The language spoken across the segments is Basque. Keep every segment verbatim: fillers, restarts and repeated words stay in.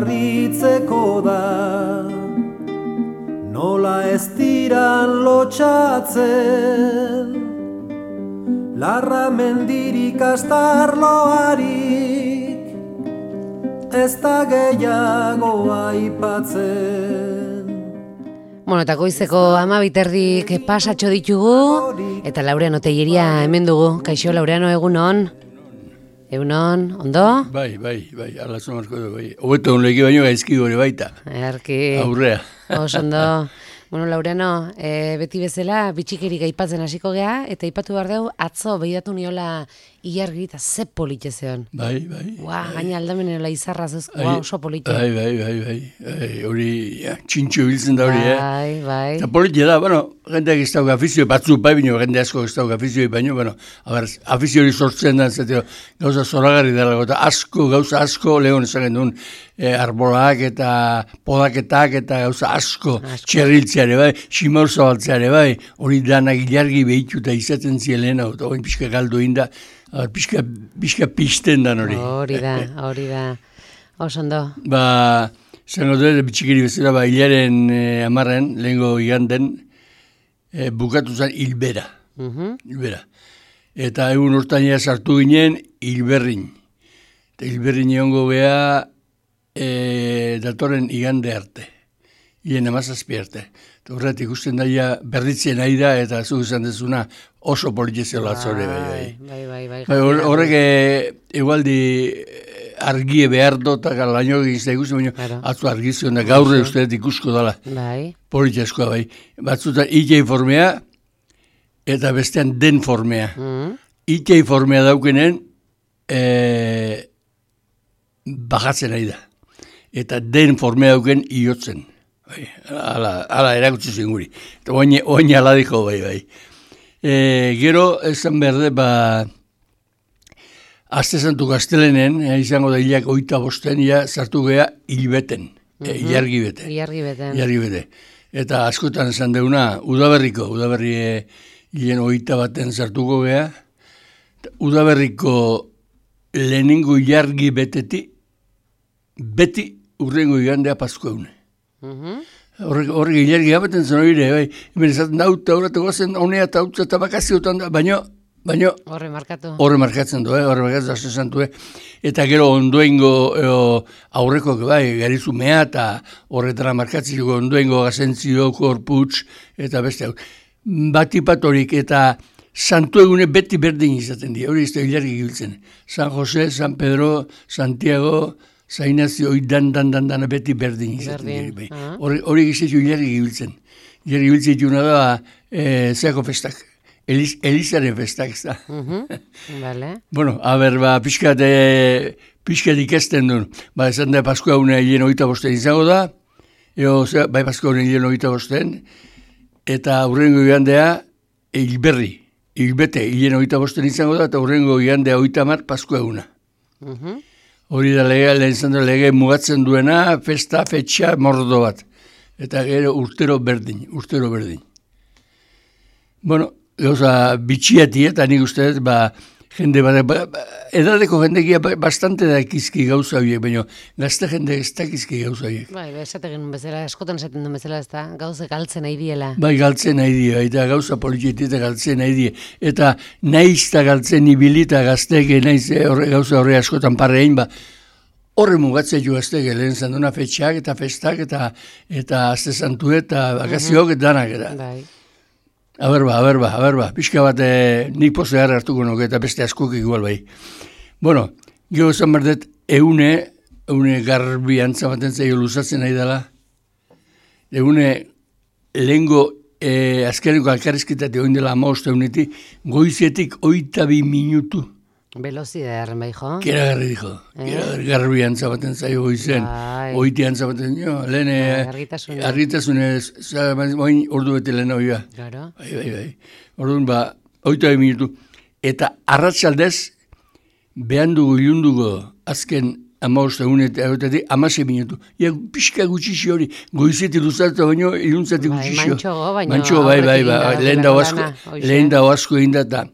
Ritzeko da, nola ez diran lotxatzen, larra mendirik astarloarik, ez da gehiago aipatzen. Bueno, eta goizeko ama biterdik pasatxo ditugu, eta Laureano Telleria hemen dugu. Kaixo, Laureano, egunon? Egunon, ondo? Bai, bai, bai, ala zomarko du, bai. Obeto honleki baino gaizki gore baita. Erki. Aurrea. Oso ondo. Bueno, Laureano, e, beti bezala bitxikerik aipatzen hasiko gea, eta aipatu behar dugu, atzo behidatu niola ilargi eta ze polite zeon. Bai, bai. Ua, bai. Gaina aldamenela izarra zezko, bai, oso polite. Bai, bai, bai, bai. Hori, ja, txintxo biltzen da hori, bai, eh? Bai, bai. Eta polite da, bueno, jendeak ez dauk afizioi, batzu bai bino, jende asko ez dauk afizioi baino, bueno, abar, afiziori sortzen da, zateo, gauza zoragarri dara, eta asko, gauza asko, lehon esagen duen, e, arbolak eta podaketak eta gauza asko, asko. Txerriltzeare, bai, simaur zabaltzeare, bai, hori danak ilargi behitu eta izaten zielen, eta hori pixka galdu inda, Pixka, pixka pizten dan hori. Hori da, hori da. Oso ondo. Ba, zango dut, bitxikiri bezala, ba, hilaren eh, amarren, lehengo iganden, eh, bukatu zen hilbera. Uh-huh. Hilbera. Eta egun urtainea sartu ginen, hilberrin. Eta hilberrin egongo geha, eh, datorren igande arte. Hien amazazpi arte. Horret ikusten daia berritzen nahi da, eta zu izan dezuna oso politizela atzore, bai, bai. Bai, bai, bai. Horrek egualdi argie behar dotak alaino egizta ikusten, baina atzu argizion da gaurre uste ikusko dala. Bai. Politizkoa, bai. Batzutan ikei formea, eta bestean den formea. Mm. Ikei formea daukenen, e, bajatzen nahi da. Eta den formea dauken iotzen. Bai, ala, ala erakutsi zinguri. Eta oin ala diko, bai, bai. E, gero, esan berde, ba, Aste Santu Gaztelenen, e, izango da hilak oita bosten, ja, sartu geha hilbeten, mm-hmm. e, ilargi bete. Ilargi bete. Ilargi bete. Eta askotan esan deuna, udaberriko, udaberri e, hilen oita baten sartuko geha, udaberriko lehenengo ilargi beteti, beti urrengo igandea pasko eune. Horrek uh-huh. ilargi gabeten zen hori, bai, hemen esaten da, eta horretako zen, honea eta hautza eta bakaziotan da, baino, baino, horre markatu. Horre markatzen du, eh? Horre markatzen da, santu, eh? Eta gero ondoengo eo, aurreko, bai, garizu mea, eta horretara markatzen dugu ondoengo gazentzio, korputz, eta beste hau. Batipatorik eta santu egune beti berdin izaten dira, hori ez da ilargi giltzen. San Jose, San Pedro, Santiago, Zainazio, hori dan, dan, dan, dan, beti berdin izaten dira. Hori uh-huh. gizetu hilargi gibiltzen. Hilargi gibiltzen dituna da, e, zeako festak. Eliz, Elizaren festak, ez da. Uh-huh. Vale. Bueno, haber, ba, pixkat, e, pixkat ikesten duen. Ba, esan da, Paskua une hilen hogeita bosten izango da. Eo, ze, bai, Paskua une hilen hogeita bosten. Eta hurrengo igandea, hilberri. Hilbete, hilen hogeita bosten izango da, eta hurrengo igandea hogeita mar, Paskua una. Uh-huh. Hori da lege, lehen zandra lege mugatzen duena, festa, fetxa, mordo bat. Eta gero urtero berdin, urtero berdin. Bueno, gauza bitxiati eta nik uste dut, ba, jende bat, ba, ba, edadeko jendekia bastante da ekizki gauza horiek, baina gazte jende ez da ekizki gauza horiek. Bai, esategen bezala, eskotan esaten duen bezala, ez da, gauza galtzen nahi diela. Bai, galtzen nahi die, eta gauza politieti eta galtzen nahi die. Eta nahiz eta galtzen ibilita gazteke, nahiz horre, gauza horre askotan parrein, ba, horre mugatzea jo gazteke, lehen zanduna fetxak eta festak eta eta Aste Santu eta bakaziok eta danak eta. Bai. Aber ba, aber ba, aber ba, pixka bat eh, nik poze gara hartuko nuke eta beste askok igual bai. Bueno, gero esan berdet, eune, eune garbi antzamaten zaio luzatzen nahi dela, eune lehengo eh, azkeneko alkarrizketate oin dela amaoste euneti, goizietik oita bi minutu. Velozidea erren bai, jo? Kera garri dijo, kera eh? garbi antzabaten zaio goizen, oiti antzabaten, jo, lehen argitasune, argitasune, oin ordu bete lehen hori ba. Claro. Bai, bai, bai. Orduan ba, oita bi minutu. Eta arratsaldez, behan dugu ilunduko azken amaoste egunetik, amase minutu. Ia pixka gutxixi hori, goizeti luzatu baino, iluntzati gutxixi. Bai, mantxogo, baino. Mantxogo, bai, bai, bai, lehen dago asko, lehen dago asko egindata.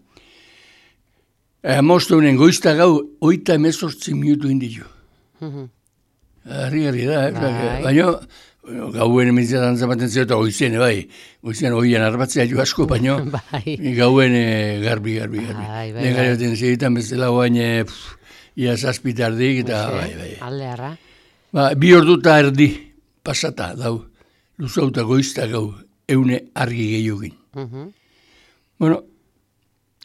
Amaoste honen goizta gau, oita emezortzi minutu inditu. Harri-harri da, eh? Bai. Baina, gauen ementzatan zamaten zeo, eta goizien, bai, goizien oian arbatzea jo asko, baina Bai. gauen eh, garbi, garbi, garbi. Bai, bai, Lehen bai. garioten segitan bezala guain, eh, pff, ia zazpitardik, eta bai, bai. Alde harra. Ba, bi ordu eta erdi pasata, dau, luzauta goizta gau, eune argi gehiogin. Mhm. Bueno,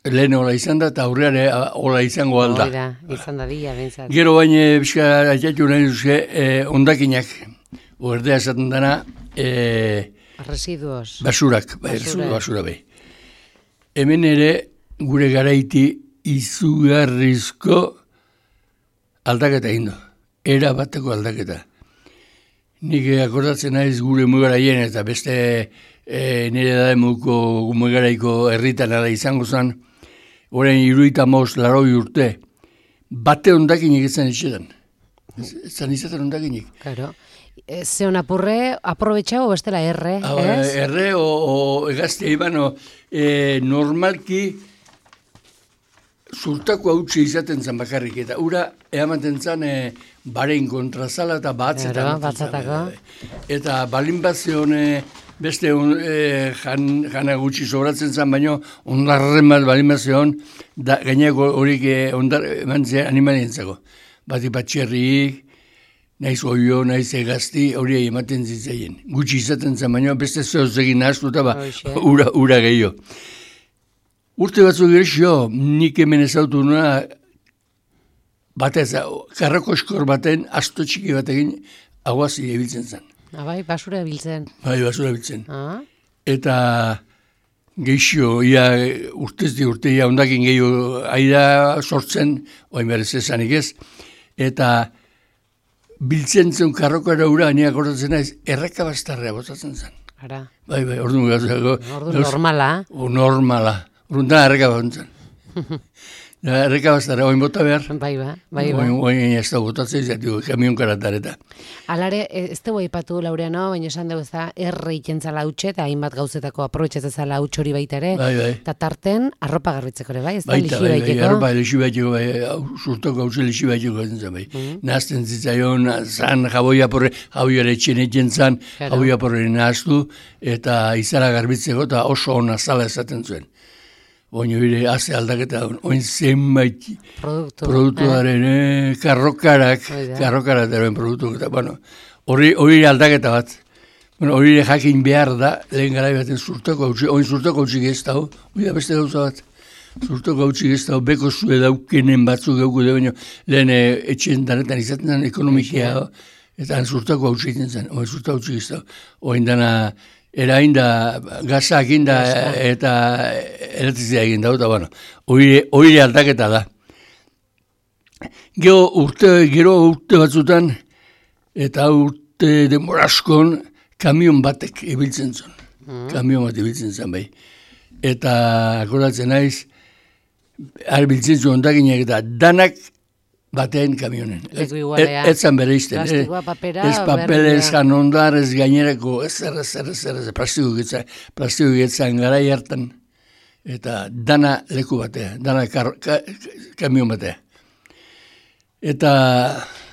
lehen hola izan da, eta aurreare hola izango alda. Hori da, izan da dia, bentsat. Gero baina, bizka, atxatu nahi duzke, eh, ondakinak, ordea esaten dana, eh, Residuos. basurak, bai, Basura. basura bai. Hemen ere, gure garaiti izugarrizko aldaketa indo. Era bateko aldaketa. Nik akordatzen naiz gure mugaraien eta beste e, nire da emuko mugaraiko herritan ala izango zen, orain iruita maus laroi urte, bate ondakinik etzen etxetan. Zan izaten ondakinik. Claro. E, Zeon apurre, aprobetxau bestela erre, Hau, ez? Erre o, o egazte ibano, e, normalki zurtako hautsi izaten zen bakarrik, eta ura eamaten zen e, barein kontrazala eta batzetan. Claro, ematen zen, batzatako. bai, bai. Eta balin bat zeon e, beste un, e, jan, jana gutxi sobratzen zen, baino ondarren bat balin bat zeon, da, gainako horik e, ondar eman zen animalientzako. Bati patxerrik, naiz oio, naiz egazti, hori ematen zitzaien. Gutxi izaten zen, baino beste zehoz egin nahaztu eta ba, Hoxe. ura, ura gehiago. Urte batzuk gerxio, nik hemen ezautu nuna, batez, karrako eskor baten, asto txiki batekin, aguazi ebiltzen zen. Ah, bai, basura biltzen. Bai, basura ebiltzen. Ah, Eta geixio, ia urtez di urte, ia ondakin gehiago aida sortzen, oain berez esanik ez, eta biltzen zen karrokara ura, ni akordatzen naiz, erreka bastarrea botatzen zen. ara. Bai, bai, orduan gauzako. Ordu normala. O normala. Orduan da erreka batzen. Da, erreka bastarrea, oain bota behar. Bai, ba, bai, ba. Oain, oain ez da botatzen, zatu, kamion karatareta. Alare, ez dugu aipatu Laureano, baina esan dugu ez da, erre ikentzala hautxe, eta hainbat gauzetako aprobetxatzezala hautx hori baita ere, Bai, bai. eta tarten arropa garbitzeko ere, bai, ez da, Baita, lixi bai, bai, baiteko. arropa lexi baiteko, bai, hau, surtoko hau lexi baiteko zen, bai. Nahazten zitzaion, zan jaboia porre, jaboiare etxen zan, Claro. jaboia porre nahaztu, eta izara garbitzeko, eta oso ona zala esaten zuen. Oin hori haze aldaketa, oin zenbait Produktu. produktuaren, eh, karrokarak, Hori da. karrokarak eroen produktu, eta, bueno, hori hori aldaketa bat. Bueno, hori jakin behar da, lehen gara baten zurtoko hautsi, oin zurtoko hautsi geztau, hori da beste gauza bat. Zurtoko hautsi geztau, beko zue daukenen batzuk gauku da, baina lehen eh, etxen danetan izaten zen ekonomikia, eta han zurtoko hautsi egiten zen, oin zurtoko hautsi geztau. Oin dana, erain da, gazak inda eta elektrizia egin da, eta bueno, hori aldaketa da. Gero urte, gero urte batzutan, eta urte demoraskon, kamion batek ibiltzen zen. Kamion bat ibiltzen zen bai. Eta akordatzen naiz, arbiltzen zuen ondakinak eta danak batean kamionen. Leku igualea. Ez zan bere izten. Plastikoa, papera, Ez papel, berdina. ez janondar, ez gainerako, ez zer, ez zer, ez zer, ez plastiko getzan, plastiko getzan garai hartan. Eta dana leku batea, dana kar, ka, kamion batea. Eta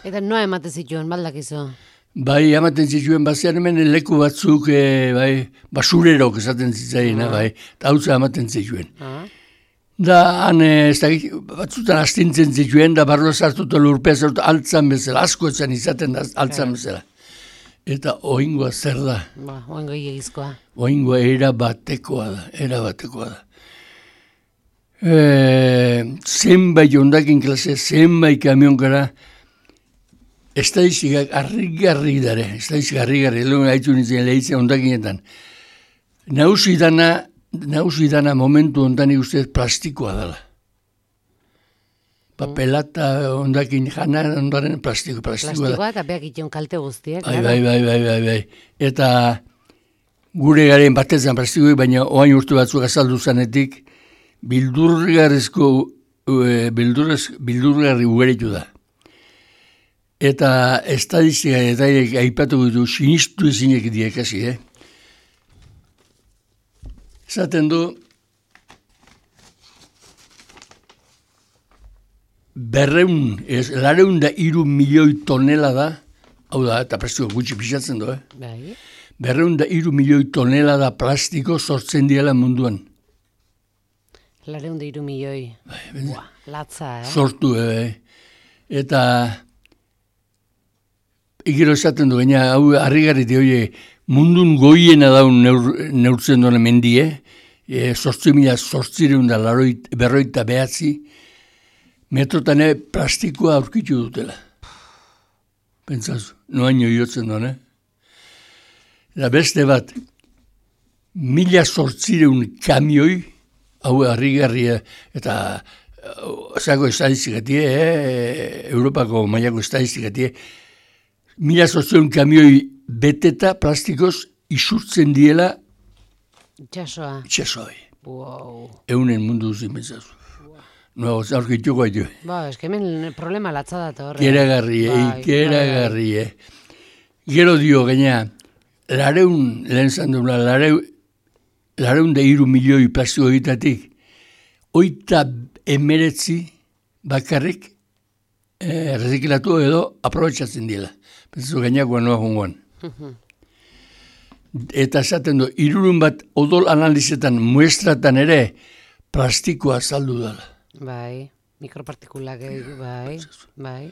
Eta noa ematen zituen, baldakizu. bai, amaten zituen bazean hemen leku batzuk, e, bai, basurerok esaten zitzaiena, bai, eta hautza amaten zituen. Ah, Da, han, eh, ez da, batzutan astintzen zituen, da barro sartuta lurpea sartuta altzan bezala, asko etzan izaten da altzan bezala. Eta oingoa zer da, ba, oengo egizkoa. oingoa era batekoa da, era batekoa da. E, zenbait ondakin klase, zenbait kamionkara, estadistikak arrik-garrik dare, estadistikak arrik-garrik, lehen haitu nintzen lehitzen ondakinetan. Nausi dana, nausi dana momentu ondan ustez plastikoa dela. Papelata ondakin jana ondaren plastiko, plastikoa da. Plastikoa eta beak ition kalte guztiek. Bai, bai, bai, bai, bai, bai. Eta gure garen batetzen plastikoi, baina oain urte batzuk azaldu zanetik, bildurgarrizko, e, bildurrez, bildurgarri ugeritu da. Eta estadistika eta aipatu ditu sinistu ezinek diekasi, eh? Esaten du, berreun, ez, lareun da iru milioi tonela da Hau da, eta plastiko gutxi pixatzen du, eh? Bai. Berreun da iru milioi tonelada plastiko sortzen diela munduan. Lareun da iru milioi. Buah, latza, eh? Sortu, eh? Eta ikero esaten du, gaina, hau harrigarriti, oie, mundun goiena daun neur, neurtzen duen mendie, e, sortzi mila sortzireun da laroit, berroita behatzi, metrotane plastikoa aurkitu dutela. Pentsazu, noaino jotzen duen, eh? Eta beste bat, mila sortzireun kamioi, hau harrigarria, eta zako estadistikatie, eh? Europako mailako estadistikatie, mila sortzireun kamioi beteta plastikoz isurtzen diela Itxasoa. itxasoi. Wow. Eunen mundu duzin pentsazu. No, aurkituko haitu. Ba, eske hemen problema latza da horre. Keragarrie, Bai, ikeragarrie. Gero dio, gaina, lareun, lehen zanduna, lareun, lareun da iru milioi plastiko egitatik, oita emeretzi bakarrik eh, reziklatu edo aprobetsatzen dira. Pentsazu gainakoa noa jongoan. Eta esaten du, irurun bat odol analizetan muestratan ere plastikoa saldu dela. Bai, mikropartikulak, bai, bai.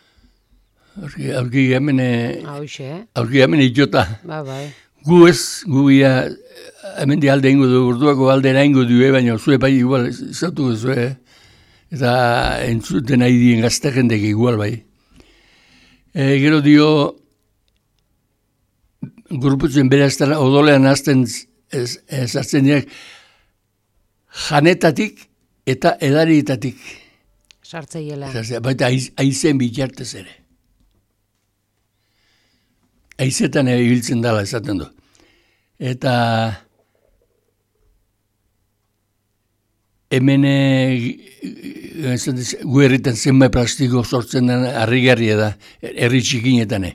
Aurki, aurki hemen, Hauxe, eh? aurki hemen itxota. Ba, bai. Gu ez, gu ia, hemen di alde ingo du, urduako aldera ingo du, eh, baina zue bai igual, izatu zu, eh? Eta entzuten nahi dien gazte jendek igual bai. E, gero dio, gruputzen bere aztara, odolean azten zartzen diak, janetatik eta edarietatik. Sartzeiela. Baita aizen bitartez ere. Aizetan ibiltzen dela esaten du. Eta hemen gu herritan zenbait plastiko sortzen den harrigarria da, herri txikinetan.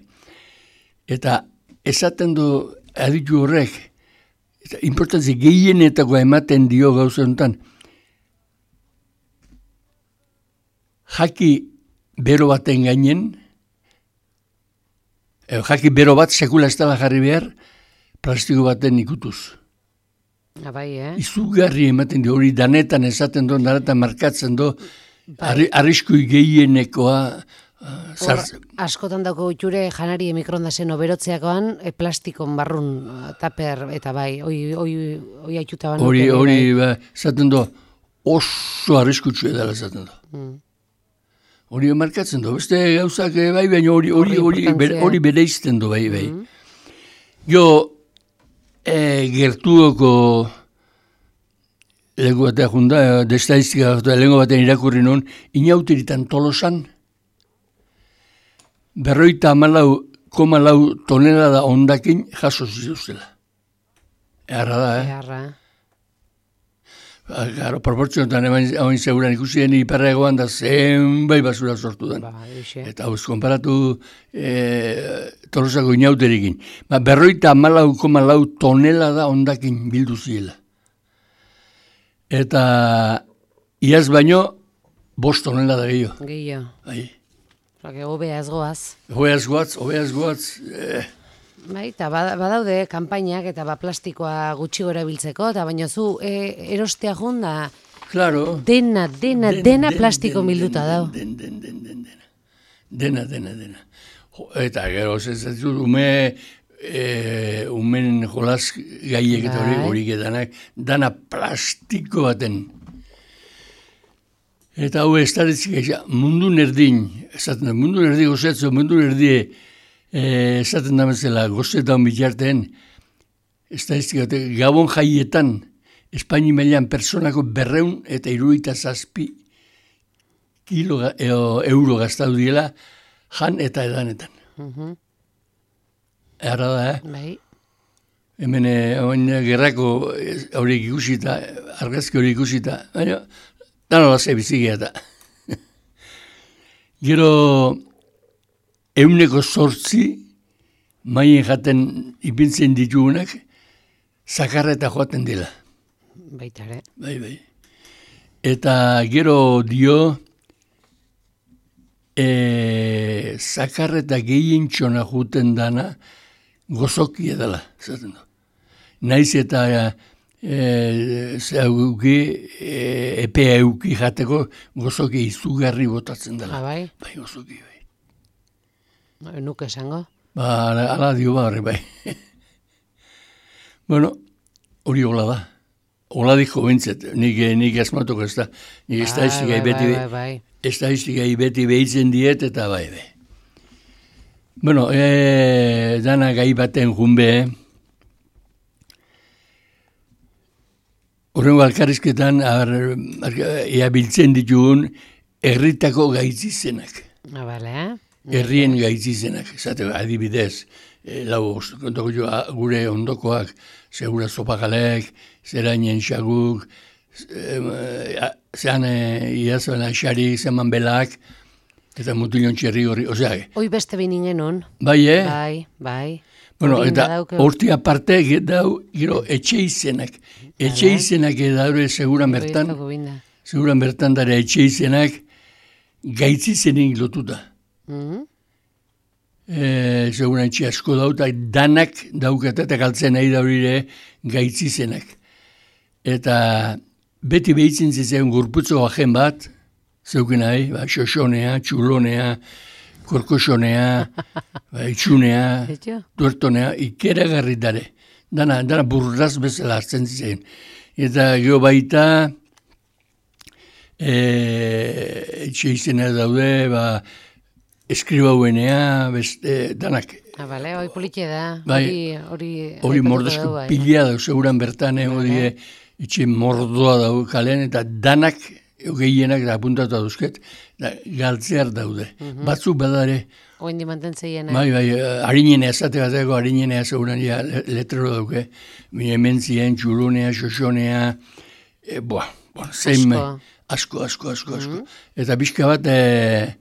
Eta esaten du aditu horrek, eta importantzi gehienetakoa ematen dio gauza honetan, jaki bero baten gainen, eh, jaki bero bat sekula ez dela jarri behar, plastiko baten ikutuz. Abai, eh? Izugarri ematen dio, hori danetan esaten du, danetan markatzen du, arri, arriskui gehienekoa uh, zartzen. Askotan dauko itxure janari mikrondasen oberotzeakoan, e, plastikon barrun taper, eta bai, oi, oi, oi aitxuta ban. Hori, hori, ba, esaten du, oso arriskutsu edala esaten du. Mm. Hori markatzen du, beste gauzak bai, baina hori hori hori hori bere izten du bai, bai. Mm. Jo, e, gertuoko lego batea junda, de estadistika lengo baten irakurri nun, inautiritan Tolosan, berroita amalau, koma lau tonelada ondakin jaso zituztela. Eharra da, eh? Eharra. Garo, proportzionetan hain seguran ikusien iparregoan da zenbait basura sortu den. Ba, eta hau konparatu e, Tolosako inauterikin. Ba, berroita amalau koma lau tonelada ondakin bildu ziela. Eta iaz baino bost tonelada gehiago. Gehiago. Bai. Zake, hobea ez goaz. Hobea ez goaz, hobea ez goaz. Eh. Bai, eta badaude kanpainak eta ba plastikoa gutxi gora biltzeko, eta baina zu e, erostea junda, claro. dena, dena, den, dena den, plastiko bilduta dau. Den, den, den, den, dena. Dena, dena, dena. Eta gero, zezatzut, ume, e, umen jolas gaiek eta hori horik edanak, dana plastiko baten. Eta hau ez daretzik, mundu nerdin, esaten da, mundu nerdi gozetzo, mundu nerdi, Eh, esaten da bezala, gozetan bitarteen, ez da iztik, Gabon jaietan, Espaini mailan personako berreun eta iruita zazpi kilo e, euro gaztatu diela jan eta edanetan. Uh-huh. Erra da, eh? Bai. Hemen eh, gerrako horiek ikusita, argazki horiek ikusita, baina, dano lazai bizigia eta. Gero, euneko sortzi, maien jaten ipintzen ditugunak, zakarra eta joaten dela. Baita ere. Bai, bai. Eta gero dio, e, zakar eta gehientxona juten dana gozoki edala, zaten du. Naiz eta e, zeuki, e, epea euki jateko gozoki izugarri botatzen dela. Ah, bai? Bai, gozoki, bai. Ba, nuke esango. Ba, ala, ala dio barri, bai. Bueno, hori hola da. Hola diko bintzet, nik, nik asmatuko ez da. Nik estadistika bai, beti, bai, bai, bai. estadistika beti behitzen diet eta bai, bai. Bueno, e, dana gai baten junbe, horrengo alkarrizketan, ea biltzen ditugun, herritako gaitzizenak. Ah, bale, eh? Herrien gaitzizenak, esate, adibidez, e, lau, kontako jo, gure ondokoak, segura zopagalek, zerainen xaguk, zean iazoen aixari, zeman belak, eta mutilon txerri horri, osea. Hoi beste binin genuen. Bai, eh? Bai, bai. Bueno, Hori eta badauke- horti aparte, dau, gero, etxe izenak. Etxe izenak edaure seguran bertan, Hori ez dago binda. seguran bertan dara etxe izenak gaitzizenik lotuta. Mhm. E, seguran etxe asko dauta, danak daukata eta galtzen nahi daurire gaitzizenak. Eta beti behitzen zitzen gurputzo ajen bat, zeuken nahi, ba, xoxonea, txulonea, korkosonea, ba, itxunea, Etxo? duertonea, ikeragarri dare. Dana, dana burraz bezala hartzen zitzen. Eta geho baita, e, etxe izena daude, ba, eskribauenea, beste, danak. Ah, bale, hoi politxe da. Bai, Hori, hori... Hori aipatuko mordosko dugu, bai. pila dau, seguran bertan, eh, hori Vale. etxe mordoa dau kalean, eta danak, gehienak da apuntatu dauzket, da, galtzear daude. Batzuk badare, Oin di mantentzeien. bai, bai, harinenea, esate bateko harinenea seguran ja le- letrero dauke, mi hemen zien, txulunea, xoxonea, e, boa, boa, zein, Asko. asko, asko, asko, asko. Eta pixka bat, e,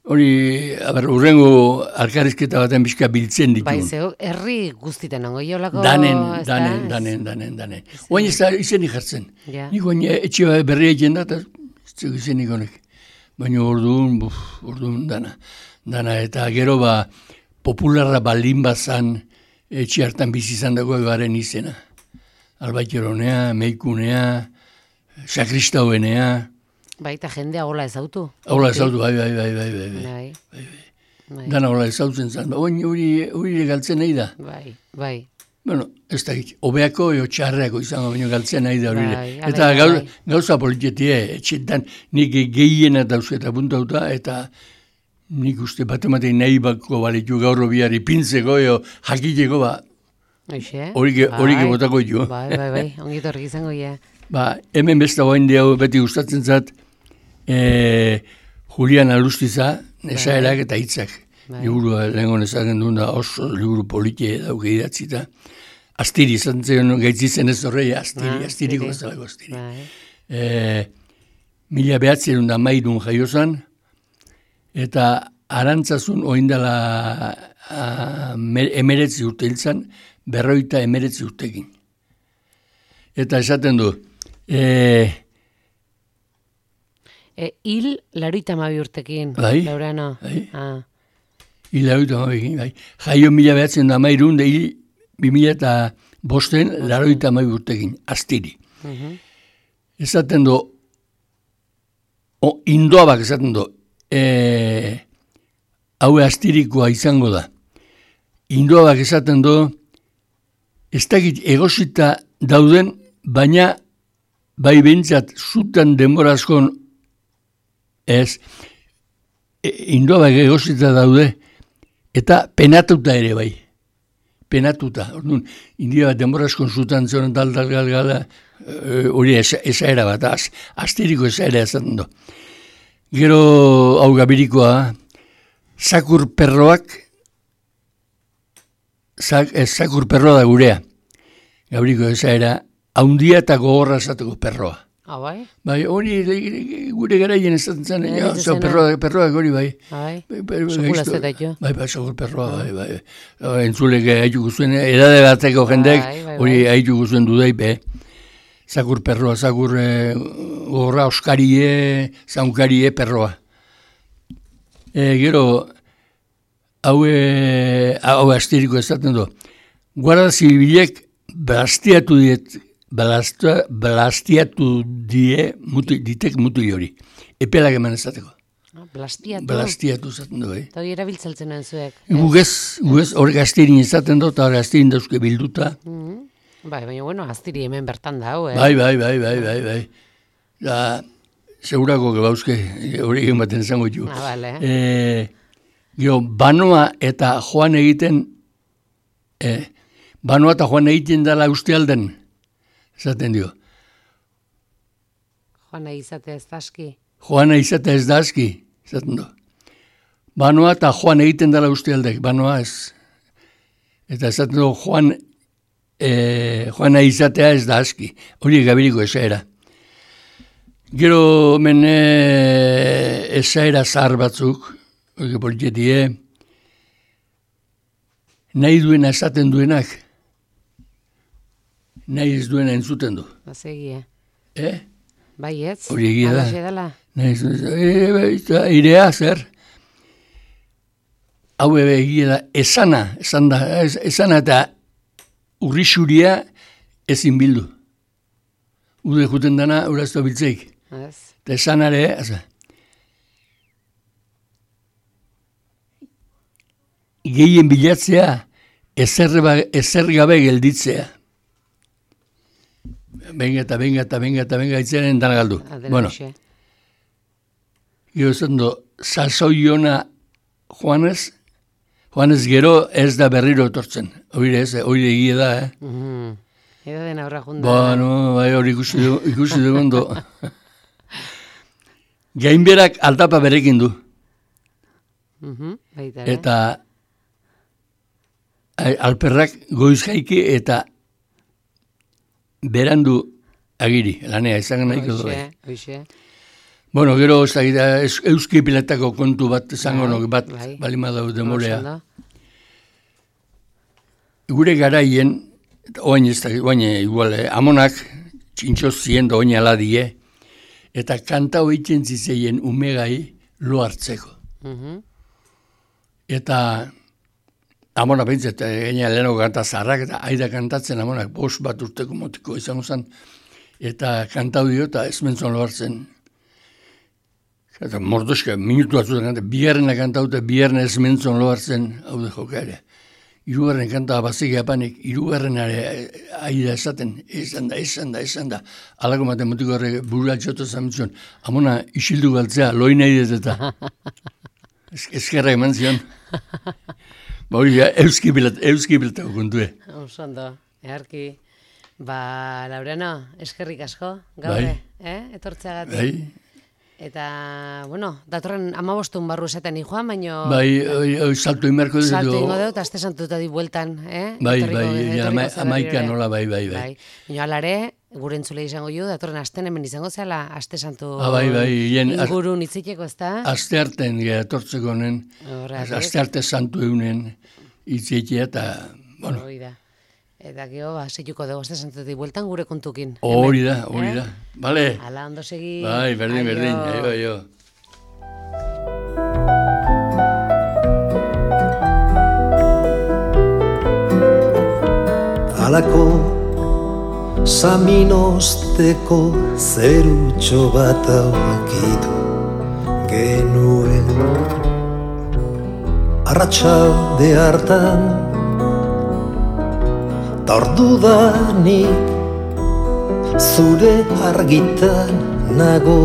hori, aber, urrengo alkarrizketa baten pixka biltzen ditu. Bai, zeu, herri guztiten ongo iolako... Danen, ez da, danen, ez? danen, danen, danen. Oain ez da izenik jartzen. Ja. Nik oain etxe berria egin da, eta ez zeu izenik honek. Baina orduan, buf, orduan dana. Dana, eta gero ba, popularra balin bazan, etxe hartan bizi izan dago garen izena. Albaiteronea, meikunea, sakristauenea, Bai, eta jendea hola ezautu. hola ezautu, bai, bai, bai, bai, bai, bai. Bai, bai, Dana hola ezautzen zan. Oain hori hori galtzen nahi da. bai, bai. Bueno, ez da, hobeako eo txarreako izango, baina galtzen nahi da hori. Bai, Eta bai, gau, bai. gauza politietie, etxetan nik gehiena dauzketa puntauta, eta nik uste bat ematen nahi bako balitu gaur biari pintzeko, eo jakiteko, ba, Hoxe? hori ge- hori Bai. gebotako jo. Bai, bai, bai, ongit horrik izango ja. Ba, hemen besta guain hau beti gustatzen zat, e, Julian Alustiza, nesaerak eta hitzak. Bai. Liburu lehenko nezaken duen da oso liburu politie dauke idatzita. Astiri, izan zen gaitzitzen ez horrei, astiri, Ah, astiriko astiri. ez dalako astiri. Bai. E, mila behatzen da maidun jaiozan, eta arantzazun oindala emeretzi urte hiltzan, berroita emeretzi urtekin. Eta esaten du, e, E, hil laroita mabi urtekin, Bai, Laurano. bai. Ah, hila hori amabekin, bai. Jaio mila behatzen da mairun, da hil bi mila eta bosten, laroita amabi urtekin, astiri. mhm. Esaten du, o, indoabak esaten du, e, haue astirikoa izango da. Indoabak esaten du, ez dakit egosita dauden, baina bai behintzat zutan denborazkon ez, e, indoabak egosita daude, eta penatuta ere bai. Penatuta. Orduan, india bat denborazkon zutan zoren tal, tal, gal, gala, hori esa, esaera bat, az, astiriko esaera esaten du. Gero, hau gabirikoa, zakur perroak, zak, ez, zakur perroa da gurea. Gabiriko esaera, haundia eta gogorra esateko perroa. Ah, bai? Bai, hori le- gure garaien esaten zen, Eh, ja, ez zau zena. perroa, perroak hori bai. Ah, bai? Bai, bai, bai, Sekula gaizto. ez da jo. Bai, bai, zakur perroa, bai, bai. bai. Entzulek haitu guztuen, edade bateko jendek, Bai, bai, hori bai. haitu guztuen dudai, be. Zakur perroa, zakur eh, gorra oskarie, zaunkarie perroa. E, gero, hau, e, hau asteriko ezaten du, Guardia Zibilek blastiatu diet, blastua, blastiatu die, mutu, ditek mutil hori. Epelak eman ezateko. Blastiatu. Blastiatu zaten du, eh? Eta hori erabiltzeltzen nuen zuek. Gugez, gugez, hor gazterin izaten dut, eta hor gazterin dauzke bilduta. Mm. Bai, baina, bueno, aztiri hemen bertan da, hau, eh? Bai, bai, bai, bai, bai, bai. Da, segurako gebauzke, hori egin baten zango ditu. Ah, bale. E, gero, banoa eta joan egiten, e, banoa eta joan egiten dela uste alden, esaten dio. Joana izate ez da aski. Joana izatea ez da aski, esaten du. Banoa eta joan egiten dela uste aldek, banoa ez. Eta esaten du, joan, e, joana izatea ez da aski. Hori gabiriko esaera. Gero men e, esaera zahar batzuk, hori politetie, nahi duena esaten duenak, nahi ez duena entzuten du. Bazegi, eh? Eh? Bai ez? Hori egia da. Alaxe dela. Nahi ez duena, e, irea zer? Hau ebe egia da, esana, esan da, esana eta urrixuria ezin bildu. Ude juten dana, urazto biltzeik. Ez. Eta esanare, aza, gehien bilatzea, ezer, ezer gabe gelditzea. Benga eta benga eta benga eta benga itzaren dana galdu. Adela Bueno, hoxe. gero zen do, sasoiona Juanez, Juanez gero ez da berriro etortzen. Oire ez, oire egia da, eh? Mhm. Edo den aurra junda. Ba, no, bai hori ikusi dugu, ikusi dugu ondo. Gainberak aldapa berekin du. Mhm, baita ere. Eta a- alperrak goiz jaiki eta berandu agiri, lanea, izan nahiko du. Hoxe, hoxe. Bueno, gero ez da, ez- euski piletako kontu bat, zango Bai, nok bat, bai. balima dau demorea. Oso ondo. Gure garaien, eta oain ez da, oain igual, eh, amonak, txintxo zien da oain aladie, eta kanta hoitzen zizeien umegai lo hartzeko. Mhm. Eta amona bintzat, gaina leheno kanta zarrak, eta aida kantatzen amonak, bost bat urteko motiko izango zen, eta kantau dio, eta ez mentzon lo hartzen. Eta mordoska, minutu batzutan kanta, bigarrena kantau, eta bigarrena ez mentzon lo hartzen, hau de jokare. Hirugarren kanta bazik apanik, hirugarrenare aida esaten, esan da, esan da, esan da. Alako matematiko horrek burua txoto zamitzuen, amona isildu galtzea, loin nahi dut eta. Ez- Ezkerra eman zion. Ba hori, euski bilat, euski bilatako kontue. Oso ondo, eharki. Ba, Laureano, eskerrik asko, gaur, Bai. eh? Etortzeagatik. Bai, Eta, bueno, datorren amabostun barru esaten joan, baino... bai, oi, oi, salto inmerko dut. Salto ingo dut, aste santuta di bueltan, eh? Bai, Etorriko- bai, etorriko ama, zara amaika ere. nola, bai, bai, bai. Bai, baina alare, gure entzule izango ju, datorren asten hemen izango zela, aste santu Ah, bai, bai, hien- ingurun itziteko, ez da? Aste arten etortzeko honen, Horregatik. aste arte santu eunen itzietia eta, bueno, Hori da. Eta gero, ba, seituko dugu aste santutik bueltan gure kontukin. hori Hemen, da, hori eh? da. Bale? Ala, ondo segi. Bai, berdin, Aio. berdin, aio, aio. Halako saminosteko zerutxo bat aurkitu genuen arratsalde hartan ta ordudanik zure argitan nago